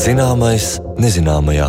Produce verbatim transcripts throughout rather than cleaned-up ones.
Zināmais nezināmajā.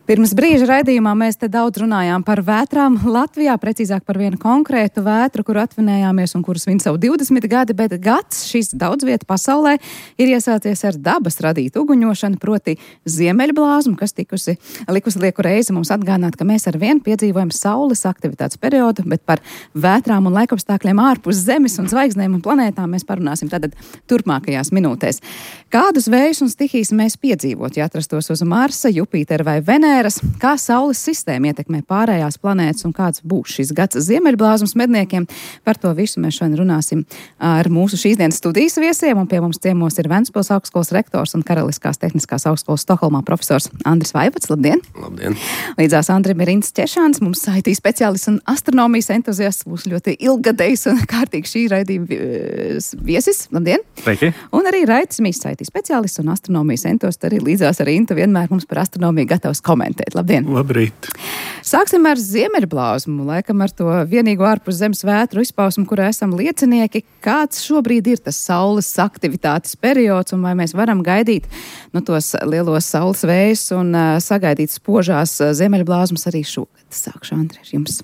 Pirms brīža raidījumā mēs te daudz runājām par vētrām Latvijā, precīzāk par vienu konkrētu vētru, kuru atvinējāmies un kuras svin savu divdesmit gadi, bet gads šis daudz vieta pasaulē ir iesācies ar dabas radītu uguņošanu, proti ziemeļblāzmu, kas tikusi likusi lieku reizi mums atgādināt, ka mēs ar vienu piedzīvojam saules aktivitātes periodu, bet par vētrām un laikapstākļiem ārpus Zemes un zvaigznēm un planētām mēs parunāsim tātad turpmākajās minūtēs. Kādus vējus un stihijas mēs piedzīvot, ja atrastos uz Marsa, Jupitera vai Venēras? Kā Saules sistēma ietekmē pārējās planētas un kāds būs šis gads ziemeļblāzmas medniekiem? Par to visu mēs šodien runāsim ar mūsu šīs dienas studijas viesiem, un pie mums ciemos ir Ventspils augstskolas rektors un Karaliskās tehniskās augstskolas Stokholmā profesors Andris Vaivots. Labdien! Labdien! Līdzās Andrim ir Ints Češāns, mums I T speciālists un astronomijas entuziasts, būs ļoti ilgadējs un kārtīgi šī raidījuma viesis. Labdien! Sveiki! Un arī Raitis Mīss, I T speciālists un astronomijas entuziasts, arī līdzās ar Intu vienmēr mums par astronomiju gatavs komentēt. Labdien! Labrīt! Sāksim ar ziemeļblāzmu, laikam ar to vienīgo ārpus zemes vētru izpausmu, kurā esam liecinieki. Kāds šobrīd ir tas saules aktivitātes periods, un vai mēs varam gaidīt no tos lielos saules vējus un uh, sagaidīt spožās uh, ziemeļblāzmas arī šogad? Sākšu, Andri, ar jums.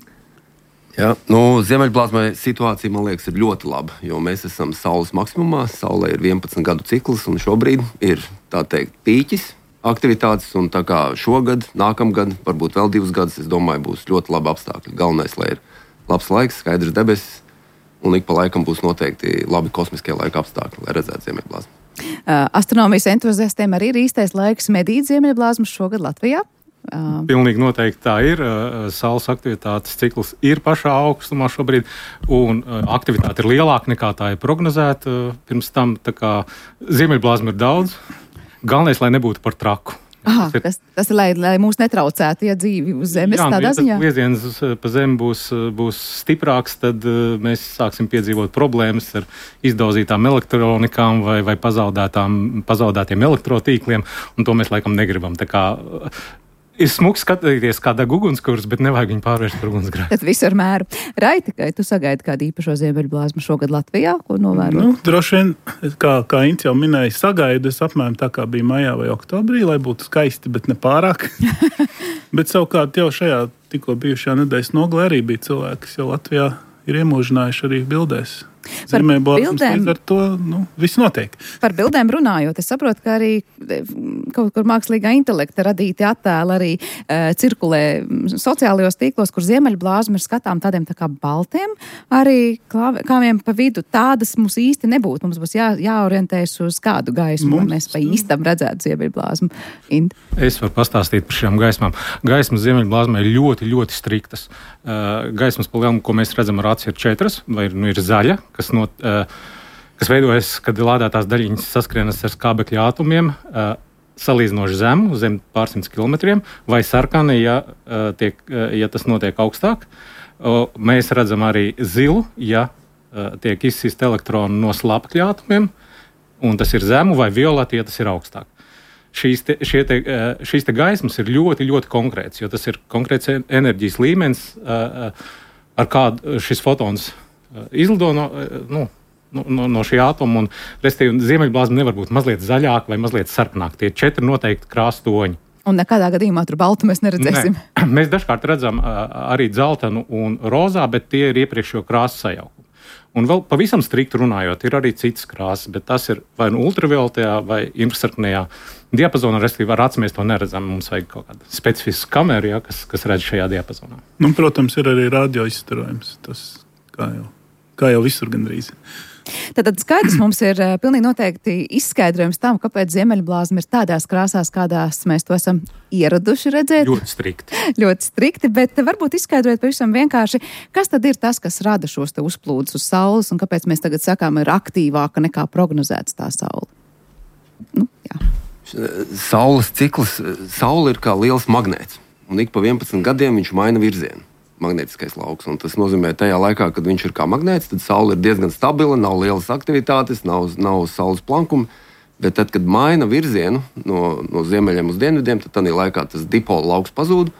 Jā, nu, ziemeļblāzmai situācija, man liekas, ir ļoti laba, jo mēs esam saules maksimumā. Saulē ir vienpadsmit gadu cikls, un šobrīd ir, tā teikt, pīķis aktivitātes, un tā kā šogad, nākamgad, varbūt vēl divus gadus, es domāju, būs ļoti labi apstākļi. Galvenais, lai ir labs laiks, skaidrs debesis, un ik pa laikam būs noteikti labi kosmiskie laika apstākļi, lai redzētu ziemeļblāzmu. Uh, astronomijas entuziastiem arī ir īstais laiks medīt ziemeļblāzmas šogad Latvijā? Uh, Pilnīgi noteikti tā ir. Saules aktivitātes cikls ir pašā augstumā šobrīd, un aktivitāte ir lielāka nekā tā ir prognozēta pirms tam. Tā kā ziemeļblāzma ir daudz. Galvenais, lai nebūtu par traku. Aha, tas, ir, tas, tas ir, lai, lai mūs netraucētu, ja dzīvi uz zemes jā, tādā ziņā. Jā, ja vieziens pa zemi būs, būs stiprāks, tad uh, mēs sāksim piedzīvot problēmas ar izdauzītām elektronikām vai, vai pazaudētiem elektrotīkliem, un to mēs laikam negribam. Tā kā uh, ir smuki skatīties, kā deg ugunskurs, bet nevajag viņu pārvērst par ugunsgrēku. Tad visu ar mēru. Raiti, vai tu sagaidi kādu īpašo ziemeļblāzmu šogad Latvijā, ko novērot? Nu, droši vien, kā, kā Ints jau minēja, sagaidu es apmēram tā kā bija maijā vai oktobrī, lai būtu skaisti, bet ne pārāk. Bet savukārt jau šajā tikko bijušajā nedēļas nogalē arī bija cilvēki, kas jau Latvijā ir iemūžinājuši arī bildēs. Ziemeļblāzmas, ar to nu, viss notiek. Par bildēm runājot, es saprotu, ka arī kaut kur mākslīgā intelekta radīti attēli arī uh, cirkulē sociālajos tīklos, kur ziemeļblāzma ir skatām tādiem tā kā baltiem, arī kāmiem pa vidu. Tādas mums īsti nebūtu. Mums būs jā, jāorientējas uz kādu gaismu, mums, lai mēs pa īstam redzētu ziemeļblāzmu. Int. Es varu pastāstīt par šiem gaismām. Gaismas ziemeļblāzmai ir ļoti, ļoti striktas. Uh, gaismas pa lielumu, ko mēs redzam ar aci, ir četras, vai nu ir zaļa, kas, not, uh, kas veidojas, kad lādētās daļiņas saskrienas ar skābekļa ātomiem, uh, salīdzinoši zemu, zem pārsimts kilometriem, vai sarkani, ja, uh, tiek, uh, ja tas notiek augstāk. Uh, mēs redzam arī zilu, ja uh, tiek izsist elektroni no slāpekļa ātomiem, un tas ir zemu, vai violeti, ja tas ir augstāk. Šīs te, te, uh, šīs te gaismas ir ļoti, ļoti konkrēts, jo tas ir konkrēts enerģijas līmenis, uh, uh, ar kādu šis fotons izlido no, nu, no, no šī ātoma, un restīvi ziemeļblāzma nevar būt mazliet zaļāk vai mazliet sarkanāk. Tie četri noteikti krāstoņi. Un nekādā gadījumā tur baltu mēs neredzēsim. Ne. Mēs dažkārt redzam arī dzeltenu un rozā, bet tie ir iepriekšējo krāsu sajaukumi. Un vēl pavisam strikti runājot, ir arī citas krāsas, bet tas ir vai nu ultravioletajā vai infrasarkanajā diapazonā, restīvi ar aci mēs to neredzam. Mums vajag kaut kādu specifisku kameru, ja, kas, kas redz šajā diapazonā. Nu, protams, ir arī radio izstarojums. Tas kā jau. Kā jau visur gandrīz. Tad skaidrs mums ir uh, pilnīgi noteikti izskaidrojums tam, kāpēc ziemeļblāzma ir tādās krāsās, kādās mēs to esam ieraduši redzēt. Ļoti strikti. Ļoti strikti, bet varbūt izskaidrojot pavisam vienkārši, kas tad ir tas, kas rada šos te uzplūdus uz saules, un kāpēc mēs tagad sakām, ir aktīvāka nekā prognozēts tā saule. Nu, jā. Saules cikls, saule ir kā liels magnēts, un ik pa vienpadsmit gadiem viņš maina virzienu. Magnētiskais lauks. Un tas nozīmē, tajā laikā, kad viņš ir kā magnēts, tad saule ir diezgan stabila, nav lielas aktivitātes, nav, nav saules plankuma. Bet tad, kad maina virzienu no, no ziemeļiem uz dienvidiem, tad tādā laikā tas dipola lauks pazūd.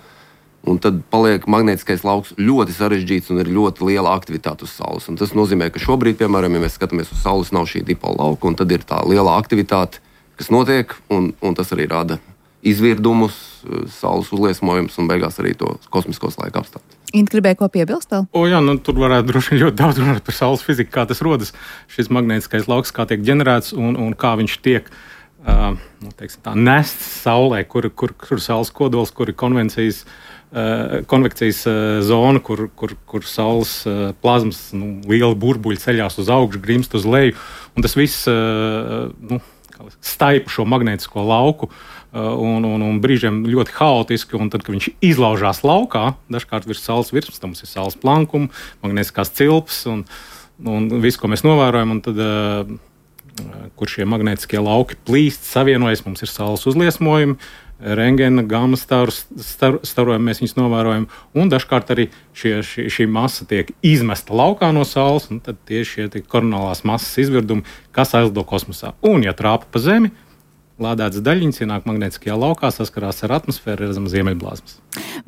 Un tad paliek magnētiskais lauks ļoti sarežģīts un ir ļoti liela aktivitāte uz saules. Un tas nozīmē, ka šobrīd, piemēram, ja mēs skatāmies uz saules, nav šī dipola lauka, un tad ir tā liela aktivitāte, kas notiek, un, un tas arī rada izvirdumus, saules uzliesmojumus un beigās arī to kosmiskos laika apstākļus. Inta gribēja ko piebilst vēl? O, jā, nu, tur varētu droši vien ļoti daudz runāt par saules fiziku, kā tas rodas, šis magnētiskais lauks, kā tiek ģenerēts un, un kā viņš tiek uh, nu, teiksim, tā, nests saulē, kur, kur, kur saules kodols, kur ir konvencijas, uh, konvekcijas uh, zona, kur, kur, kur saules uh, plazmas nu, liela burbuļi ceļās uz augšu, grimst uz leju, un tas viss uh, nu, staipa šo magnētisko lauku. Un, un, un brīžiem ļoti haotiski, un tad, kad viņš izlaužās laukā, dažkārt virs saules virsmas, tam mums ir saules plankuma, magnētiskās cilpas un, un viss, ko mēs novērojam, un tad, uh, kur šie magnētiskie lauki plīst, savienojas, mums ir saules uzliesmojumi, rengena, gamma starus, star, starojumi, mēs viņus novērojam, un dažkārt arī šie, šī, šī masa tiek izmesta laukā no saules, un tad tieši šie koronālās masas izvirdumi, kas aizlido kosmosā. Un, ja trāpa pa Zemi, lādētas daļiņas ienāk magnētiskajā laukā, saskarās ar atmosfēru, redzam ziemeļblāzmas.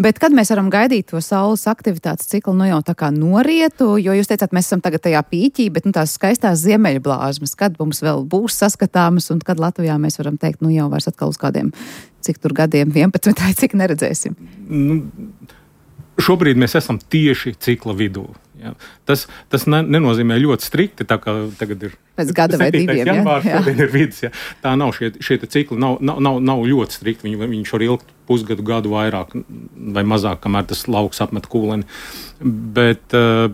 Bet kad mēs varam gaidīt to saules aktivitātes ciklu, nu jau tā kā norietu, jo jūs teicāt, mēs esam tagad tajā pīķī, bet nu, tās skaistās ziemeļblāzmas, kad mums vēl būs saskatāmas un kad Latvijā mēs varam teikt, nu jau vairs atkal uz kādiem, cik tur gadiem, vienpadsmit, cik neredzēsim? Nu, šobrīd mēs esam tieši cikla vidū. Ja. Tas, tas ne, nenozīmē ļoti strikti, tā kā tagad ir pēc gada vai diviem. Janvārs, ja? ir vidus, ja. Tā nav šie, šie cikli, nav, nav, nav, nav ļoti strikti. Viņi, viņš var ilgt pusgadu, gadu vairāk vai mazāk, kamēr tas lauks apmet kūleni. Bet uh,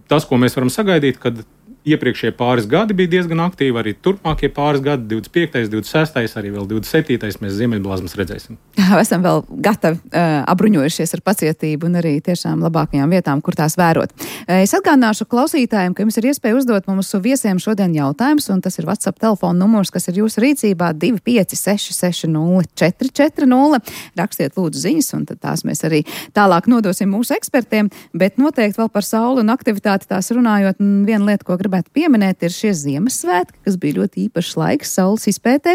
tas, ko mēs varam sagaidīt, kad iepriekšējie pāris gadi bija diezgan aktīvi, arī turpmākie pāris gadi, divdesmit piektais, divdesmit sestais, arī vēl divdesmit septītais mēs ziemeļblāzmas redzēsim. Esam vēl gatavi uh, apbruņojušies ar pacietību un arī tiešām labākajām vietām, kur tās vērot. Uh, es atgādināšu klausītājiem, ka jums ir iespēja uzdot mūsu viesiem šodien jautājumus, un tas ir WhatsApp telefona numurs, kas ir jūsu rīcībā divi pieci seši seši nulle četri četri nulle. Rakstiet lūdzu ziņas, un tad tās mēs arī tālāk nodosim mūsu ekspertiem, bet noteikti vēl par sauli un aktivitāti tās runājot, viena lieta, ko gribētu pieminēt, ir šie Ziemassvētki, kas bija ļoti īpašs laiks saules izpētē,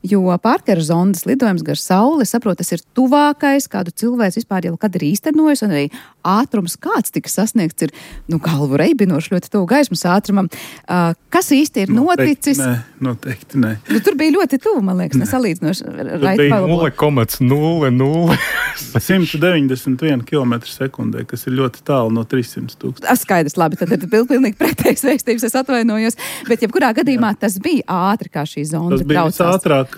jo Parkera zondas lidojums gar sauli, saprot, tas ir tuvākais, kādu cilvēks vispār jau kad ir īstenojis, un arī ātrums, kāds tika sasniegts, ir, nu, galvu reibinoši ļoti tuvu gaismas ātrumam. Uh, kas īsti ir noticis? Noteikti nē, noteikti nē. Nu, tur bija ļoti tuvu, man liekas, nesalīdzinoši. nulle komats nulle nulle simt deviņdesmit viena kilometra sekundē, kas ir ļoti tālu no trīssimt tūkstoši. Skaidrs, labi, tad ir pilnīgi pretējs vēstības, es atvainojos, bet jebkurā gadījumā jā. Tas bija ātri, kā šī zonda tas bija traucās. Ātrāk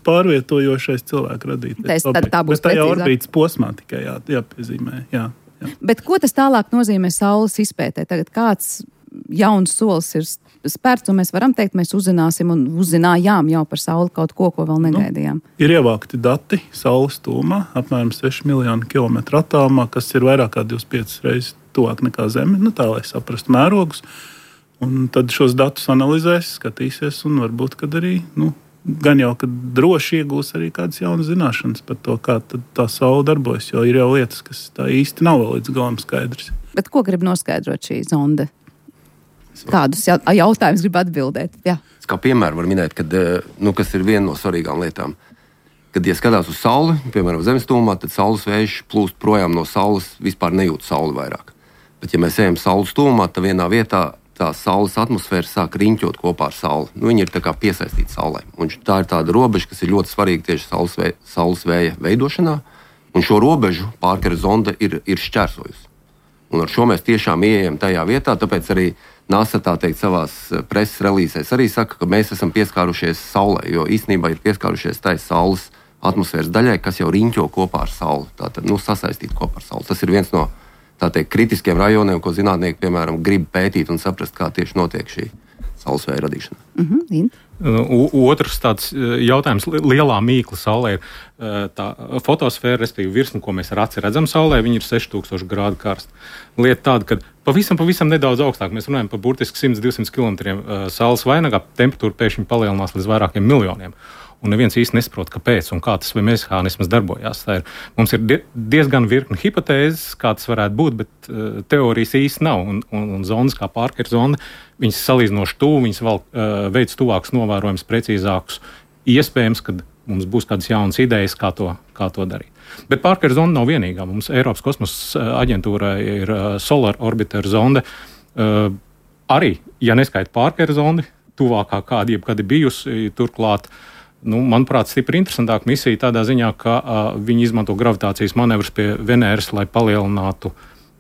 pārvietojošais cilvēku radītais. Tas, tad, tā būs bet tajā precīzāk. Orbītas posmā tikai jā, jāpiezīmē. Jā, jā. Bet ko tas tālāk nozīmē saules izpētē? Tagad kāds jauns solis ir spērts, un mēs varam teikt, mēs uzzināsim un uzzinājām jau par sauli kaut ko, ko vēl negaidījām. Nu, ir ievākti dati saules tūmā, apmēram seši miljoni kilometru attālumā, kas ir vairāk kā divdesmit piecas reizes tuvāk nekā Zeme, nu tā, lai saprastu mērogus. Un tad šos datus analizēs, skatīsies, un varbūt, kad arī, nu, gan jau, kad droši iegūs arī kādas jaunas zināšanas par to, kā tā saule darbojas, jo ir jau lietas, kas tā īsti nav vēl līdz galam skaidrs. Bet ko grib noskaidrot šī zonde? Kādus jautājumus grib atbildēt? Jā. Kā piemēru var minēt, kad, nu, kas ir viena no svarīgām lietām. Kad, ja skatās uz sauli, piemēram, zemes tūmā, tad saules vējš plūst projām no saules, vispār nejūt sauli vairāk. Bet, ja mēs ejam saules tūmā, tad vienā vietā tā saules atmosfēra sāk riņķot kopā ar sauli. Nu, viņi ir tā kā piesaistīti saulē. Un tā ir tāda robeža, kas ir ļoti svarīga tieši saules, vē, saules vēja veidošanā. Un šo robežu Parkera zonda ir, ir šķērsojusi. Un ar šo mēs tiešām ieejam tajā vietā, tāpēc arī NASA tā teikt savās preses relīzēs arī saka, ka mēs esam pieskārušies saulē, jo īstenībā ir pieskārušies tai saules atmosfēras daļai, kas jau riņķo kopā ar sauli. Tātad, nu, sasaistīt kopā ar sauli. Tas ir viens no tā teikt, kritiskiem rajoniem, ko zinātnieki, piemēram, grib pētīt un saprast, kā tieši notiek šī saules vēja radīšana. Mm-hmm. Otrs tāds jautājums, lielā mīkla saulē ir tā fotosfēra, respektīvi virsma, ko mēs ar aci redzam saulē, viņi ir seši tūkstoši grādu karsta. Lieta tāda, ka pavisam, pavisam nedaudz augstāk, mēs runājam par burtiski simt līdz divsimt kilometriem saules vainagā, temperatūra pēkšņi palielinās līdz vairākiem miljoniem. Un neviens īsti nesaprot, kāpēc un kā tas mehānisms darbojās. Tā ir, mums ir diezgan virkni hipotēzes, kā tas varētu būt, bet uh, teorijas īsti nav. Un, un, un zonas kā Parkera zonda, viņas salīdzinoši tuvu, viņas vēl uh, veids tuvākus novērojums, precīzākus. Iespējams, ka mums būs kādas jaunas idejas, kā to, kā to darīt. Bet Parkera zonda nav vienīgā. Mums Eiropas kosmosa aģentūrai ir uh, Solar Orbiter zonde. Uh, arī, ja neskaita Parkera zondi, tuvākā kāda jebkad ir bijusi, turklāt nu, manuprāt, stipri interesantāka misija tādā ziņā, ka uh, viņi izmanto gravitācijas manevrus pie Venēras, lai palielinātu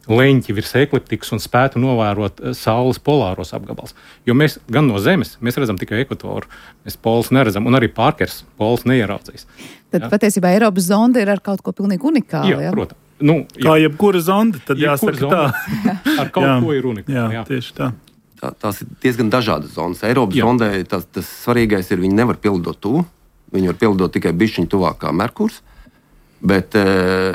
leņķi virs ekliptikas un spētu novērot Saules polāros apgabals. Jo mēs gan no Zemes, mēs redzam tikai ekvatoru, mēs polus neredzam, un arī Parkers polus neieraudzīs. Tad ja? patiesībā Eiropas zonde ir ar kaut ko pilnīgi unikālu. Jā, Ja? protams. Nu, jā. Kā jebkura zonde, tad Jebkura jāsaka tā. zonde ar kaut Jā. ko ir unikāli. Jā, Jā. tieši tā. Tā, tās ir diezgan dažādas zonas. Eiropas Jā. zondē tas, tas svarīgais ir, viņi nevar pildot tuvu. Viņi var pildot tikai bišķiņu tuvāk kā Merkurs. Bet,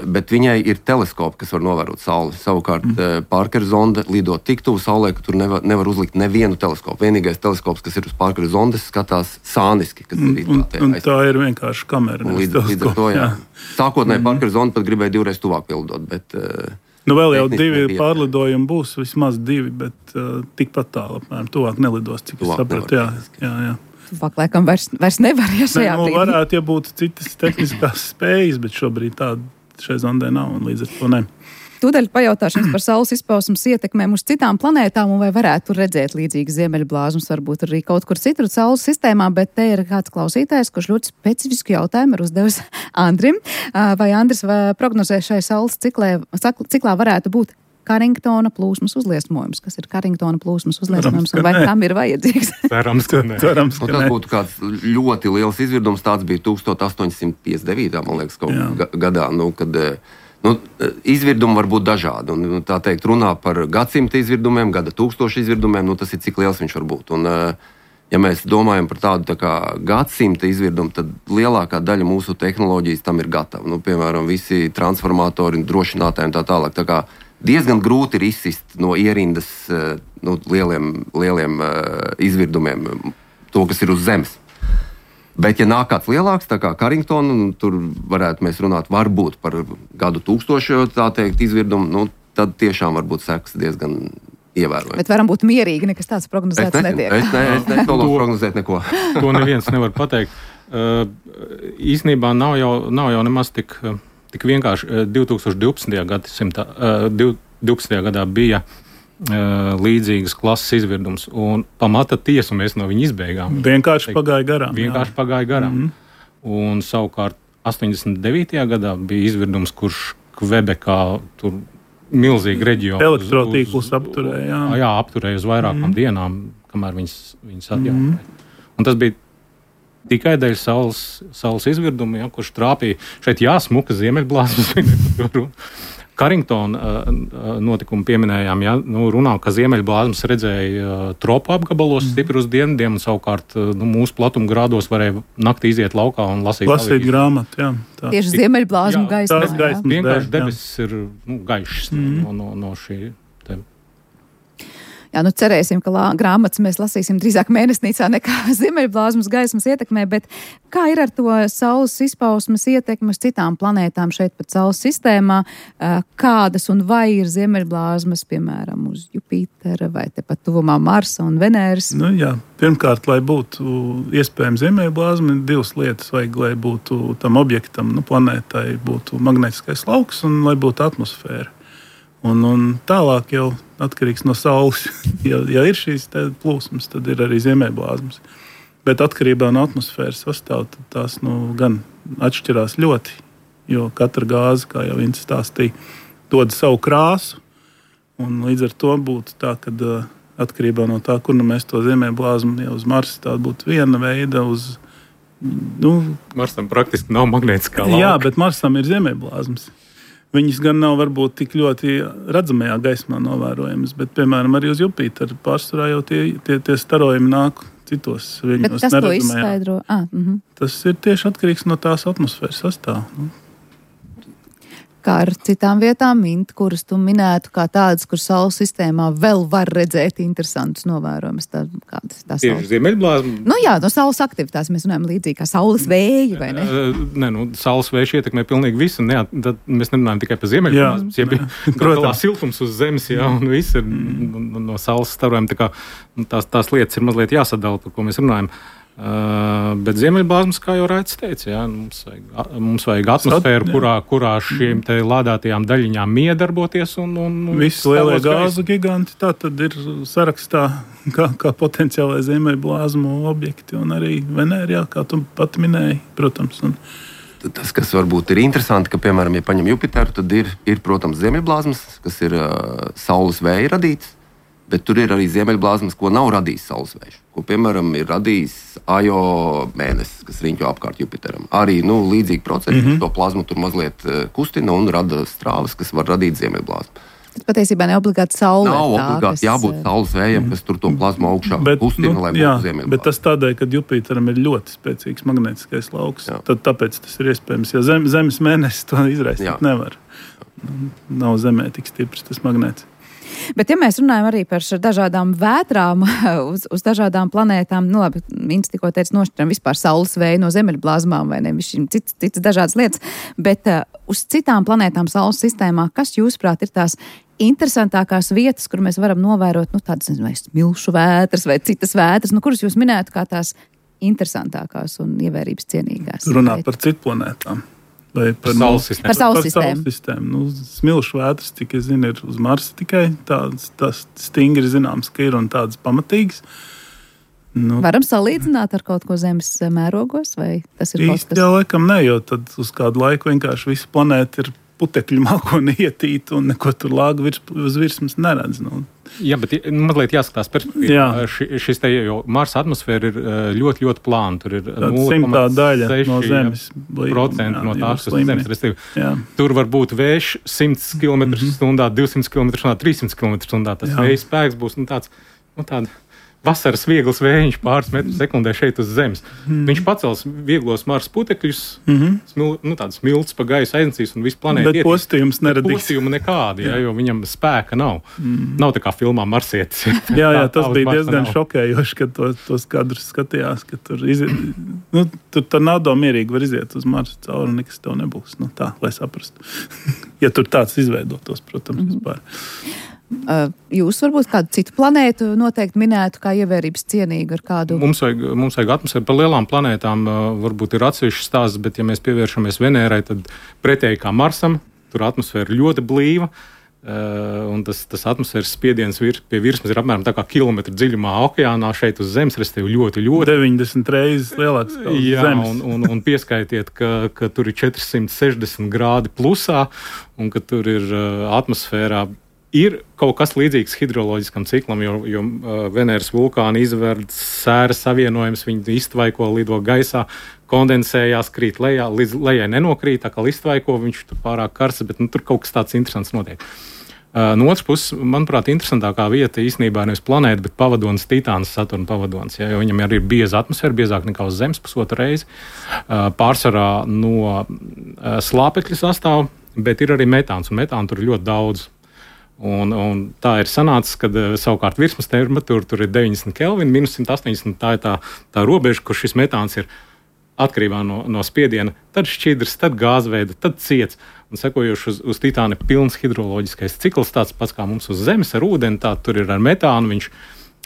bet viņai ir teleskopi, kas var novērot Sauli. Savukārt mm. Parkera zonde lido tik tuvu Saulē, ka tur nevar, nevar uzlikt nevienu teleskopu. Vienīgais teleskops, kas ir uz Parkera zondes, skatās sāniski. Kas ir Un, un tā ir vienkārši kamera. Un līdz, līdz ar to, jā. jā. Sākotnēji mm. Parkera zonde pat gribēja divreiz tuvāk pildot, bet... Nu vēl jau tehniski divi nebija. pārlidojumi būs, vismaz divi, bet uh, tikpat tālu apmēram. Tuvāk nelidos, cik Tuvāk es sapratu. Jā, nevar, jā, jā. Tuvāk laikam vairs, vairs nevar, ja šajā Ne, nu, brīdī. varētu, ja būtu citas tehniskās spējas, bet šobrīd tāda šai zondē nav, un līdz ar to ne. Tūdaļ pajautāšu jums par Saules izpausmes ietekmēm uz citām planētām, un vai varētu tur redzēt līdzīgas ziemeļblāzmas, varbūt arī kaut kur citur Saules sistēmā, bet te ir kāds klausītājs, kurš ļoti specifisku jautājumu ir uzdevis Andrim. Vai Andris vai prognozē šai Saules ciklē, ciklā varētu būt Karingtona plūsmas uzliesmojums? Kas ir Karingtona plūsmas uzliesmojums, un vai tam ir vajadzīgs? Cerams, ka nē. Cerams, Nu, ka tas ne. būtu kāds ļoti liels izvirdums. Tāds bija tusenstoš astoņsimt piecdesmit devītā man liekas, kaut Jā. ga- gadā. Nu, kad, nu, izvirdumi var būt dažādi. Un, nu, tā teikt, runā par gadsimta izvirdumiem, gada tūkstošu izvirdumiem. Nu, tas ir cik liels viņš var būt. Un, ja mēs domājam par tādu tā kā gadsimta izvirdumu, tad lielākā daļa mūsu tehnoloģijas tam ir gatava. Nu, piemēram, visi transformatori, drošinātāji un tā tālāk. Tā kā diezgan grūti ir izsist no ierindas nu, lieliem, lieliem uh, izvirdumiem, to, kas ir uz Zemes. Bet, ja nāk kāds lielāks, tā kā Karingtona, nu, tur varētu mēs runāt varbūt par gadu tūkstošu, tā teikt, izvirdumu, nu, tad tiešām var būt sekas diezgan ievērojami. Bet varam būt mierīgi, nekas tāds Es prognozēts nezinu, netiek. es, ne, es netolu prognozēt neko. To neviens nevar pateikt. Uh, īsnībā nav jau, nav jau nemaz tik, tik vienkārši. divi tūkstoši divpadsmitajā gadsimtā, uh, divpadsmitajā gadā bija uh, līdzīgas klases izvirdums, un pamata tiesu mēs no viņa izbeigām. Vienkārši Teikt, pagāja garām. Vienkārši jā. pagāja garām. Mhm. Un savukārt astoņdesmit devītajā gadā bija izvirdums, kurš Kvebekā tur milzīgi reģionu Elektrotīklus apturēja, jā. jā, apturēja uz vairākām mm. dienām, kamēr viņas, viņas atjaunoja. Mm. Un tas bija tikai dēļ saules, saules izvirduma, ja, kurš trāpīja šeit jāsmuka ziemeļblāzmas. Karingtona uh, notikumu pieminējām, ja, nu, runā, ka ziemeļblāzmas redzēja uh, tropu apgabalos mm. stipri uz dienvidiem, un savukārt uh, nu, mūsu platuma grādos varēja naktī iziet laukā un lasīt, Lasīt avīzes. grāmatu, jā. Tā. Tieši ziemeļblāzmu Jā, gaismā. tās gaismas. Vienkārši Jā. debesis ir nu, gaišs Mm. no, no, no šī. Te. Jā, nu cerēsim, ka lā, grāmatas mēs lasīsim drīzāk mēnesnīcā nekā ziemeļblāzmas gaismas ietekmē, bet kā ir ar to Saules izpausmes ietekmi uz citām planētām šeit pat Saules sistēmā? Kādas un vai ir ziemeļblāzmas, piemēram, uz Jupitera vai tepat tuvumā Marsa un Venēras? Nu, jā. Pirmkārt, lai būtu iespējams ziemeļblāzma, ir divas lietas. Vajag, lai būtu tam objektam, nu, planētai, būtu magnētiskais lauks un lai būtu atmosfēra. Un, un tālāk jau atkarīgs no Saules. Ja, ja ir šīs plūsmas, tad ir arī ziemeļblāzmas. Bet atkarībā no atmosfēras sastāvā tās nu, gan atšķirās ļoti. Jo katra gāze, kā jau Ints stāstīja, dod savu krāsu. Un līdz ar to būtu tā, ka uh, atkarībā no tā, kur nu mēs to ziemeļblāzmu, ja uz Marsa tā būtu viena veida, uz nu, Marsam praktiski nav magnētiskā lauka. jā, bet Marsam ir ziemeļblāzmas. Viņas gan nav varbūt tik ļoti redzamajā gaismā novērojamas, bet, piemēram, arī uz Jupiteru pārsvarā jau tie, tie, tie starojumi nāk citos Bet viņos tas to neredzamajā. izskaidro. Ah, mhm. Tas ir tieši atkarīgs no tās atmosfēras sastāvā. Nu, Kā ar citām vietām, Mint, kuras tu minētu kā tādas, kur Saules sistēmā vēl var redzēt interesantus novērojumus. Tā, kādas tā Tieši Saules? ziemeļblāzma. Nu jā, no Saules aktivitātes mēs runājam līdzīgi kā Saules vēju, vai ne? Uh, Nē, nu, saules vējš ietekmē pilnīgi visu. Ne, tad mēs nerunājam tikai par ziemeļblāzmu. Ja bija protams. siltums uz zemes, jā, un viss ir no, no saules starojumi. Tā kā, nu, tās, tās lietas ir mazliet jāsadala, par ko mēs runājam. Uh, bet ziemeļblāzmas, kā jau Raits teica, jā, mums, vajag, mums vajag atmosfēru, kurā, kurā šīm te lādētajām daļiņām miedarboties. Un, un, Visi lielie gāzu giganti tā tad ir sarakstā kā, kā potenciālai ziemeļblāzmu objekti, un arī Venēra, jā, kā tu pat minēji, protams. Un... Tas, kas varbūt ir interesanti, ka, piemēram, ja paņem Jupiteru, tad ir, ir protams, ziemeļblāzmas, kas ir uh, saules vēja radīts. Bet tur ir arī ziemeļblāzmas, ko nav radījis saules vējš. Ko, piemēram, ir radījis Ajo mēnesis, kas riņķo apkārt Jupiteram. Arī nu, līdzīgi procesi, mm-hmm. to plazmu tur mazliet kustina un rada strāvas, kas var radīt ziemeļblāzmu. Tas patiesībā ne obligāti saule. Nav obligāti kas... jābūt saules vējam, kas tur to plazmu augšā bet, kustina, nu, lai jā, būtu ziemeļblāzma. Bet tas tādēļ, ka Jupiteram ir ļoti spēcīgs magnētiskais lauks. Jā. Tad tāpēc tas ir iespējams, ja zem, Zemes mēnesis to izraisīt nevar. Nav Zemē tik stiprs tas magnēts. Bet, ja mēs runājam arī par dažādām vētrām uz, uz dažādām planētām, nu labi, Ints tikko teica, nošķiram vispār saules vēju no zemeļblāzmām vai ne, cits, cits dažādas lietas, bet uh, uz citām planētām saules sistēmā, kas jūsuprāt ir tās interesantākās vietas, kur mēs varam novērot, nu tādas, nezinu, vai smilšu vētras vai citas vētras, nu kuras jūs minētu kā tās interesantākās un ievērības cienīgās? Runāt par citu planētām. Vai par saules sistēmu. Par saules sistēmu. sistēmu. Nu, smilšu vētras, cik es zinu, ir uz Marsa tikai. Tādas, tas stingri zināms, ka ir un tādas pamatīgas. Nu, Varam salīdzināt ar kaut ko Zemes mērogos, vai tas ir kaut kas? Jā, laikam ne, jo tad uz kādu laiku vienkārši visa planēta ir putekļu mākoni ietīta un neko tur lāga virs, uz virsmas neredz. Nu. Jā, bet mazliet jāskatās perspektīvā. Ši, šis te jau Marsa atmosfēra ir ļoti, ļoti plāna. Tur ir simtā daļa no Zemes. Procenti no tās, kas ir Zemes. Restīvi. Tur var būt vējš simts kilometru stundā, divsimt kilometru stundā, trīsimt kilometru stundā. Tas vēja spēks būs nu, tāds, nu, tāda vasaras viegls vējiņš pāris metrus sekundē šeit uz Zemes. Mm. Viņš pacels vieglos Marsa putekļus, mm-hmm. smil, nu, tādas smilts pa gaisu aiznesīs un visu planētu. Bet postījums neradīs. Postījuma nekādi, jā, jo viņam spēka nav. Mm. Nav tā kā filmā Marsietis. jā, jā, tas tā, bija diezgan šokējoši, kad to, tos kadrus skatījās, ka tur, iziet, nu, tur tornado mierīgi var iziet uz Marsa cauri un nekas tev nebūs. Nu, tā, lai saprastu. ja tur tāds izveidotos, protams, mm-hmm. vispār. Jūs varbūt kādu citu planētu noteikti minētu kā ievērības cienīgu ar kādu? Mums vajag, mums vajag atmosfēru. Par lielām planētām varbūt ir atsevišķs stāsts, bet ja mēs pievēršamies Venērai, tad pretēji kā Marsam, tur atmosfēra ļoti blīva, un tas, tas atmosfēras spiediens vir, pie virsmas ir apmēram tā kā kilometru dziļumā okeānā šeit uz Zemes, restīvi ļoti, ļoti. deviņdesmit reizes lielāks kā uz Jā, Zemes. Un, un, un pieskaitiet, ka, ka tur ir četri simti sešdesmit grādi plusā, un ka tur ir atmosfērā ir kaut kas līdzīgs hidroloģiskam ciklam, jo, jo uh, Venēras vulkāni izverd sēras savienojums, viņi iztvaiko, lido gaisā, kondensējās, krīt lejā, līdz lejai nenokrīt, tā kā iztvaiko, viņš tur pārāk karsts, bet nu, tur kaut kas tāds interesants notiek. Uh, no otras puses, manuprāt, interesantākā vieta īstenībā nevis planēta, bet pavadonis Titāns, Saturna pavadonis, ja, jo viņam arī ir bieza atmosfēra, biezāk nekā uz Zemes pusotru reizi, uh, pārsvarā no uh, slāpekļa sastāv, bet ir arī metāns, un metāna tur ir ļoti daudz. Un, un tā ir sanācis, kad savukārt virsmas temperatūra tur ir deviņdesmit kelvini, minus simt astoņdesmit. Tā ir tā, tā robeža, kur šis metāns ir atkarībā no, no spiediena. Tad šķidrs, tad gāzveida, tad ciets. Un sekojoši uz, uz Titāna ir pilns hidroloģiskais cikls, tāds pats kā mums uz Zemes ar ūdeni. Tā tur ir ar metānu, viņš,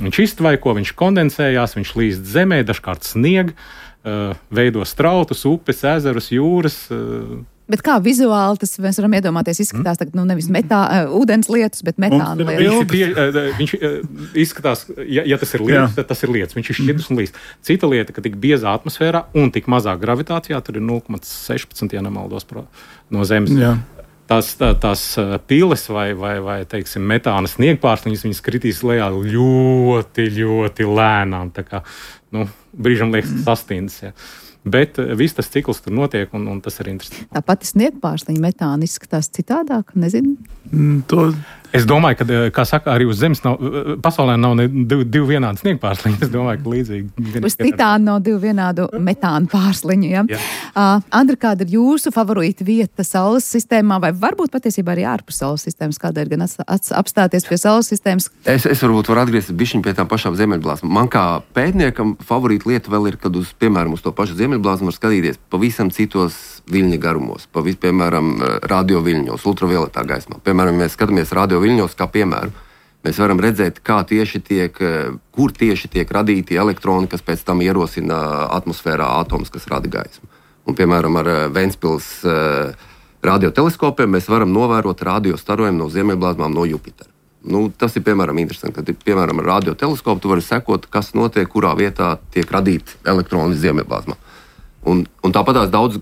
viņš iztvaiko, viņš kondensējās, viņš līst zemē, dažkārt snieg, uh, veido strautus, upes, ezerus, jūras. Uh, Bet kā vizuāli tas mēs varam iedomāties, izskatās tagad, nu, nevis metā, uh, ūdens lietus, bet metāna lietus? Viņš, uh, viņš uh, izskatās, ja, ja tas ir lietus, tad tas ir lietus. Viņš ir šķidrs un līst. Cita lieta, ka tik biezā atmosfērā un tik mazā gravitācijā, tur ir nulle komats sešpadsmit, ja nemaldos, pro, no Zemes. Jā. Tās, tā, tās piles vai, vai, vai teiksim, metāna sniegpārsliņas, viņas kritīs lejā ļoti, ļoti lēnām. Tā kā, nu, brīžam liekas sastindas, ja. Bet viss tas cikls tur notiek, un, un tas ir interesanti. Tā pati sniegpārsliņa metāna izskatās citādāk, nezinu. Mm, to... Es domāju, ka, kā saka, arī uz Zemes nav, pasaulē nav ne divi, divi vienādi sniegpārsliņi. Es domāju, ka līdzīgi. Uz Titāna nav divu vienādu metāna pārsliņu, ja? Jā. Uh, Andra, kāda ir jūsu favorīta vieta Saules sistēmā, vai varbūt patiesībā arī ārpus Saules sistēmas, kāda ir gan apstāties pie Saules sistēmas? Es, es varbūt varu atgriezties bišķiņ pie tām pašām ziemeļblāzmām. Man kā pētniekam favorīta lieta vēl ir, kad uz, piemēram, uz to pašu ziemeļblāzmu var skatīties pavisam citos viļņa garumos, pavis, piemēram, radio viļņos, ultravioletā gaismā. Piemēram, ja mēs skatāmies radio viļņos kā piemēru, Mēs varam redzēt, kā tieši tiek, kur tieši tiek radīti elektroni, kas pēc tam ierosina atmosfērā atomus, kas rada gaismu. Un, piemēram, ar Ventspils radioteleskopiem mēs varam novērot radiostarojumu no ziemeļblāzmām no Jupitera. Nu, tas ir, piemēram, interesanti, kad, piemēram, ar radioteleskopu tu vari sekot, kas notiek, kurā vietā tiek radīti elektroni ziemeļblāzmā. Un, un tāpatās daudz,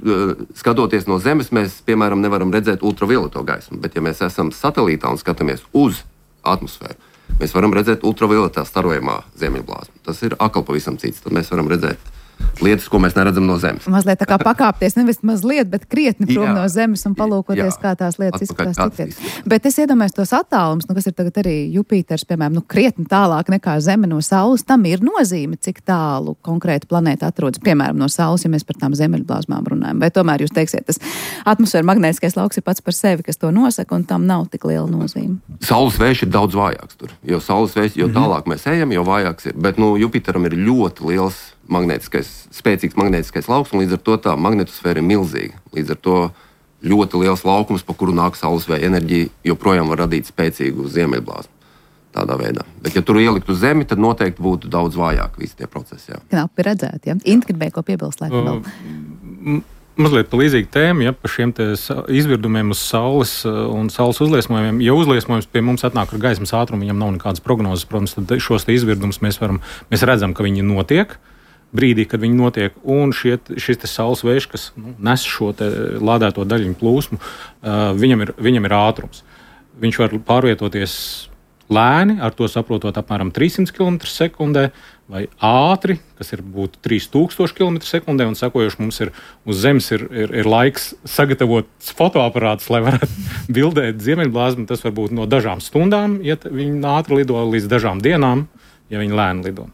skatoties no Zemes, mēs, piemēram, nevaram redzēt ultravioleto gaismu, bet ja mēs esam satelītā un skatāmies uz atmosfēru, mēs varam redzēt ultravioletā starojumā ziemeļblāzmu. Tas ir atkal pavisam cits, tad mēs varam redzēt lietas, ko mēs neredzam no Zemes. Mazliet tā kā pakāpties, nevis mazliet, bet krietni prom no Zemes un palūkoties, jā, kā tās lietas izskatās citviet. Bet es iedomājos tos attālums, nu, kas ir tagad arī Jupiters, piemēram, nu, krietni tālāk nekā Zeme no Saules, tam ir nozīme, cik tālu konkrēta planēta atrodas, piemēram, no Saules, ja mēs par tām zemeļblāzmām runājam. Vai tomēr jūs teiksiet, tas atmosfēra magnētiskais lauks ir pats par sevi, kas to nosaka, un tam nav tik liela nozīme? Saules vējš ir daudz vājāks tur, jo saules vējš, jo tālāk mēs ejam, jo vājāks ir, bet, nu, Jupiteram ir ļoti liels magnētiskais, spēcīgs magnētiskais lauks, un līdz ar to tā magnetosfēra ir milzīga. Līdz ar to ļoti liels laukums, pa kuru nāk saules vēja enerģija, joprojām var radīt spēcīgu ziemeļblāzmu. Tādā veidā. Bet, ja tur ielikt uz Zemi, tad noteikti būtu daudz vājāk visi tie procesi. Jā. Knapi redzēt, ja? Inti gribēja ko piebilst, laikam vēl. Mazliet pa līdzīgu tēmu, ja, par šiem te izvirdumiem uz Saules un Saules uzliesmojumiem. Ja uzliesmojums pie mums atnāk ar gaismas ātrumu, viņam nav nekādas prognozes, protams, tad šos te izvirdumus mēs varam, mēs redzam, ka viņi notiek brīdī, kad viņi notiek, un šie, šis te saules vējš, kas nu, nes šo te lādēto daļiņu plūsmu, uh, viņam, ir, viņam ir ātrums. Viņš var pārvietoties lēni, ar to saprotot apmēram trīs simti kilometru sekundē, vai ātri, kas ir būtu trīs tūkstoši kilometru sekundē, un sekojoši mums ir uz Zemes ir, ir, ir laiks sagatavot fotoaparātus, lai varētu bildēt ziemeļblāzmu. Tas var būt no dažām stundām, ja viņi ātri lido, līdz dažām dienām, ja viņi lēni lido.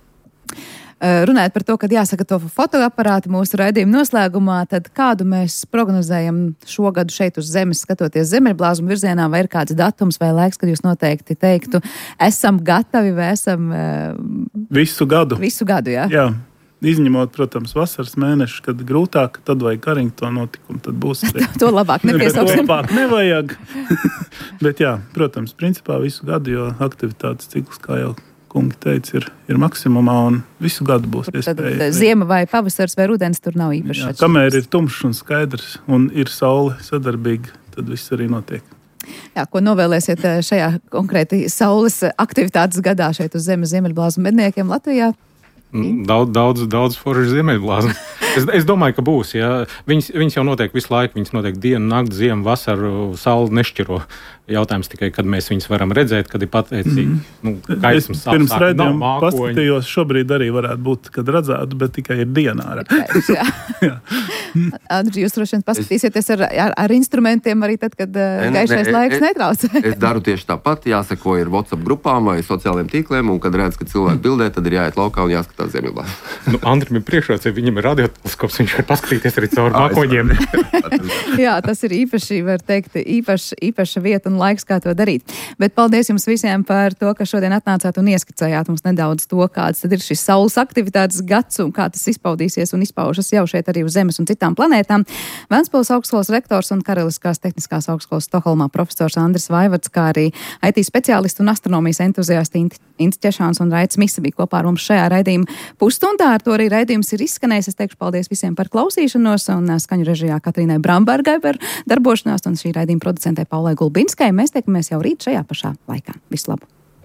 Runājot par to, kad jāsagatavo fotoaparāti mūsu raidījuma noslēgumā, tad kādu mēs prognozējam šogad šeit uz Zemes, skatoties zemeļblāzmu virzienā, vai ir kāds datums vai laiks, kad jūs noteikti teiktu, esam gatavi vai esam... Visu gadu. Visu gadu, jā. Jā. Izņemot, protams, vasaras mēneši, kad grūtāk, tad vajag Carrington notikumu, tad būs... To labāk nepiesauksim. Labāk nevajag. Bet jā, protams, principā visu gadu, jo aktivitātes cikls, kā jau kungi teica, ir, ir maksimumā un visu gadu būs iespēja. Tad ziema vai pavasars vai rudens tur nav īpaši. Jā, kamēr ir tumšs un skaidrs un ir saule sadarbīga, tad viss arī notiek. Jā, ko novēlēsiet šajā konkrēti saules aktivitātes gadā šeit uz Zemes ziemeļblāzmu medniekiem Latvijā? Daudz, daudz, daudz forši ziemeļblāzmu. Es, es domāju, ka būs. Ja. Viņas, viņas jau notiek visu laiku. Viņas notiek dienu, nakti, ziemu, vasaru, sauli nešķiro. Jautājums tikai, kad mēs viņus varam redzēt, kad ir pateicīgi. Mm. Nu, gaismas es pirms raidījuma paskatījos, šobrīd arī varētu būt, kad redzētu, bet tikai ir dienā. Jā. Jā. Andri, jūs droši vien paskatīsieties ar, ar, ar instrumentiem arī tad, kad uh, gaišais ne, laiks es, netraucē. Es daru tieši tāpat. Jāseko ir WhatsApp grupām vai sociālajiem tīkliem, un kad redz, ka cilvēki bildē, tad ir jāiet laukā un jāskatās ziemeļblāzmu. Nu, Andrim ir priekšrocība, viņam ir radioteleskops, viņš var paskatīties arī caur mākoņiem. Jā, tas ir īpaši, var teikt, īpaši, īpaša vieta un laiks, kā to darīt. Bet paldies jums visiem par to, ka šodien atnācāt un ieskicējāt mums nedaudz to, kāds tad ir šis saules aktivitātes gads un kā tas izpaudīsies un izpaužas jau šeit arī uz Zemes un citām planētām. Ventspils augstskolas rektors un Karaliskās tehniskās augstskolas Stokholmā profesors Andris Vaivards, kā arī I T speciālisti un astronomijas entuziasti Ints Ķešāns un Raits Misa bija kopā ar mums šajā raidījuma pusstundā. Ar to arī raidījums ir izskanējis. Es teikšu paldies visiem par klausīšanos un skaņu režijā Katrīnai Brambergai par darbošanās un šī raidījuma producentē Paulai Gulbinskai. Mēs tiekamies jau rīt šajā pašā laikā. Visu labu!